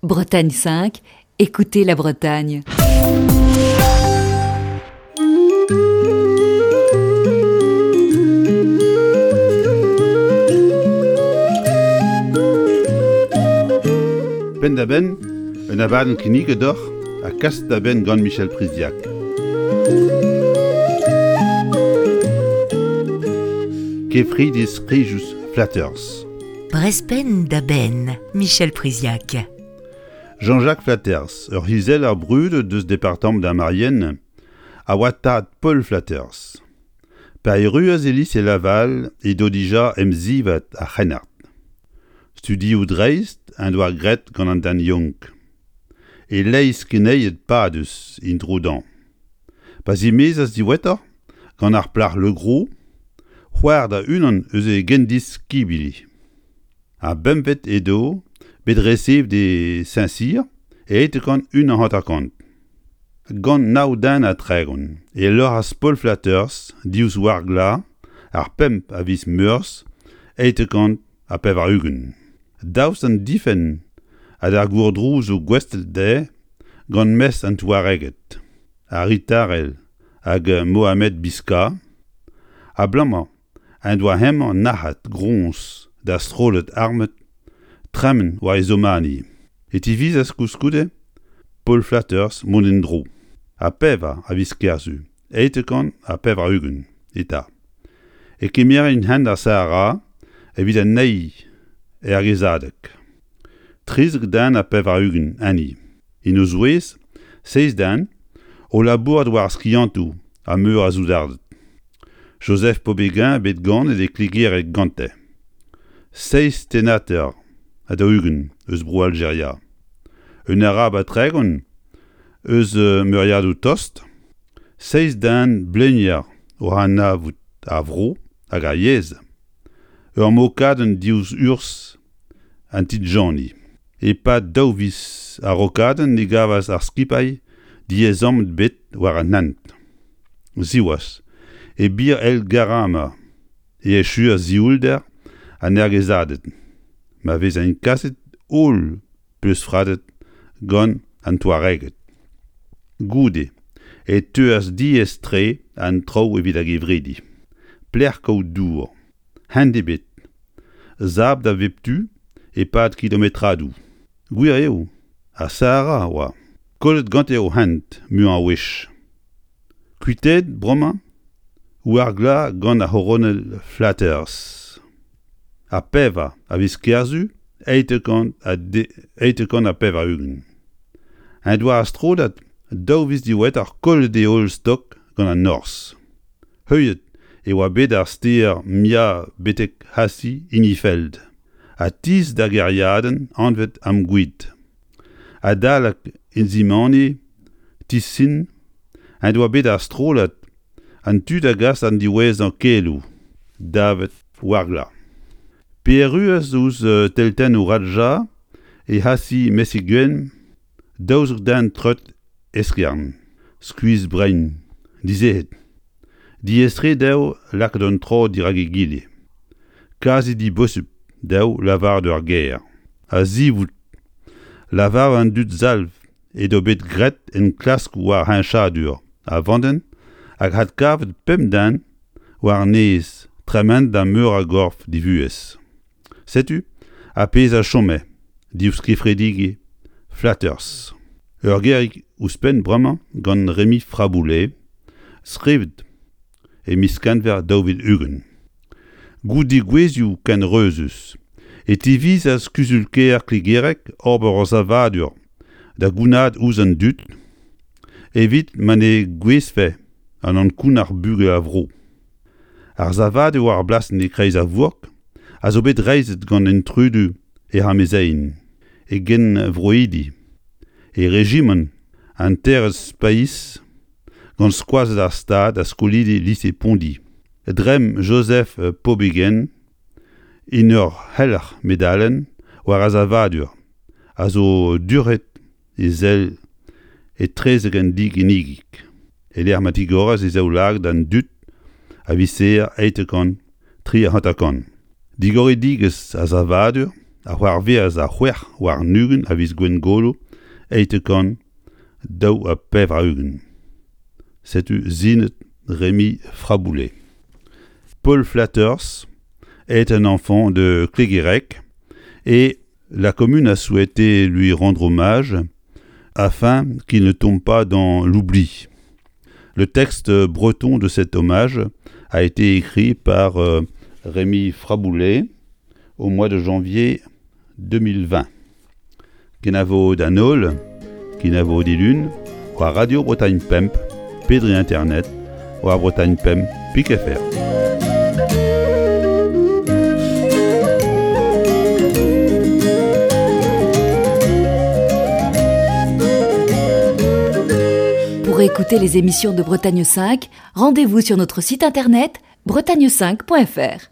Bretagne 5, écoutez la Bretagne. Penn-da-benn, un abadenn kinniget deoc'h ha kaset da benn gant Michel Priziac. Kefridi skrijus Flatters. Brezh-penn da benn, Michel Priziac. Jean-Jacques Flatters, ur c'hizeller brudet deus departamant ar Marienne, a oa tad Paul Flatters. Pa erruas e lise Laval edo dija emzivad ar c'hrennard. Studioù dreist en doa graet gant an den Young. E-leizh keneiled padus int Rodin. Pa zimezas diwezhatoc'h gant ar plac'h Le Gros, c'hoar da unan eus e gendiskibili. Ar bempvet edo bet resevet e Saint-Cyr e 1851. Gant nav den ha 30 e loc'has Paul Flatters diouzh Wargla ar pemp a viz Meurzh 1880. Daoust d'an difenn ha d'ar gourdrouzoù gouestlet dezhe gant mestr an Touareged, Harry Tarel hag Mohamed Biska, abalamour en doa hemañ nac'het groñs d'ar strollad armet tremen war e zomani. E tivizas koulskoude Paul Flatters mont en-dro, ha pevar a viz Kerzu 880 eta e kemerint hent ar Sahara evit an eil ergezadeg. 13 den ha 80 enni, en o zouez seizh den o labourat war ar skiantoù ha meur a soudarded. Joseph Pobéguin bet ganet e Klegereg gante. Seizh tennater ha 40 eus Bro-Aljeria. Un Arab ha 30 eus meuriadoù tost. Seizh den blenier oc'h anavout ar vro hag ar yezh. Ur mokadenn diouzh urzh an Tidjani. E-pad daou viz a-raokadenn ne gavas ar skipailh diaezamant ebet war an hent. Siwazh, e Bir El Garama e echuas sioulder an ergezaded, ma vezent kaset holl peuzfradet gant an Touareged. Goude e teuas diaes-tre an traoù evit ar gevridi. Pelec'h kaout dour? Hent ebet. Sabl da bep tu e-pad kilometradoù. Gwir eo, ar Sahara a oa. Kollet gante o hent muiañ a wech. Kuitaet bremañ Ouargla gant ar c'horonel Flatters. Ar pevar a viz Kerzu 880. En doa ar strollad daou viz diwezhatoc'h kollet e holl stok gant an norzh. Heuliet e oa bet ar stêr Mia betek Hassi Inifeld ha tizh d'ar gêriadenn anvet Amguid. Adalek Inzimani Tisin en doa bet ar strollad an tu da gas an diwezhañ keloù davet Ouargla. Pe erruas ouzh teltennoù Raja e Hassi Messiguen 12 den treut eskern, skuizh-brein, dizec'het. Diaes-tre dezho lakaat un tro dirak egile. Kazi dibosupl dezho lavaret ur ger. A-zivout lavar an dud salv edo bet graet enklaskoù war heñchadur a vandenn hag adkavet pemp den war-nes tremen da meur a gorf divuhez. Setu ar pezh a chome diouzh kefredigezh Flatters. Ur gerig ouzhpenn bremañ gant Remi Fraboulet, skrivet e miz Kenver 2020. Goude degouezhioù ken reuzus e tivizas kuzul-kêr Klegereg ober ur savadur da gounaat ouzh an dud evit ma ne gouezhfe an ankounac'h bugel a vro. Ar savadur war ar blasenn e-kreiz ar vourk a zo bet reizhet gant intrudu hec'h amezeien, e genvroidi, e rejimant an Terez Paiz gant skoazell ar Stad ha skolidi lise Pondi. Dremm Joseph Pobegen en ur c'helc'h medalenn war ar savadur a zo durc'het e sell etrezek an diginnigig e-lec'h ma tigoras e zaoulagad d'an dud a vicher 850. Digoridigezh ar savadur. a c'hoarvezas ar 26 a viz Gwengolo 882. Setu sinet Rémi Fraboulet. Paul Flatters est un enfant de Cléguérec et la commune a souhaité lui rendre hommage afin qu'il ne tombe pas dans l'oubli. Le texte breton de cet hommage a été écrit par euh, Rémi Fraboulet au mois de janvier 2020. Kenavo d'an holl, kenavo dilun, war Radio Bretagne Pemp, pe dre internet, war Bretagne Pemp pik fr. Pour écouter les émissions de Bretagne 5, rendez-vous sur notre site internet bretagne5.fr.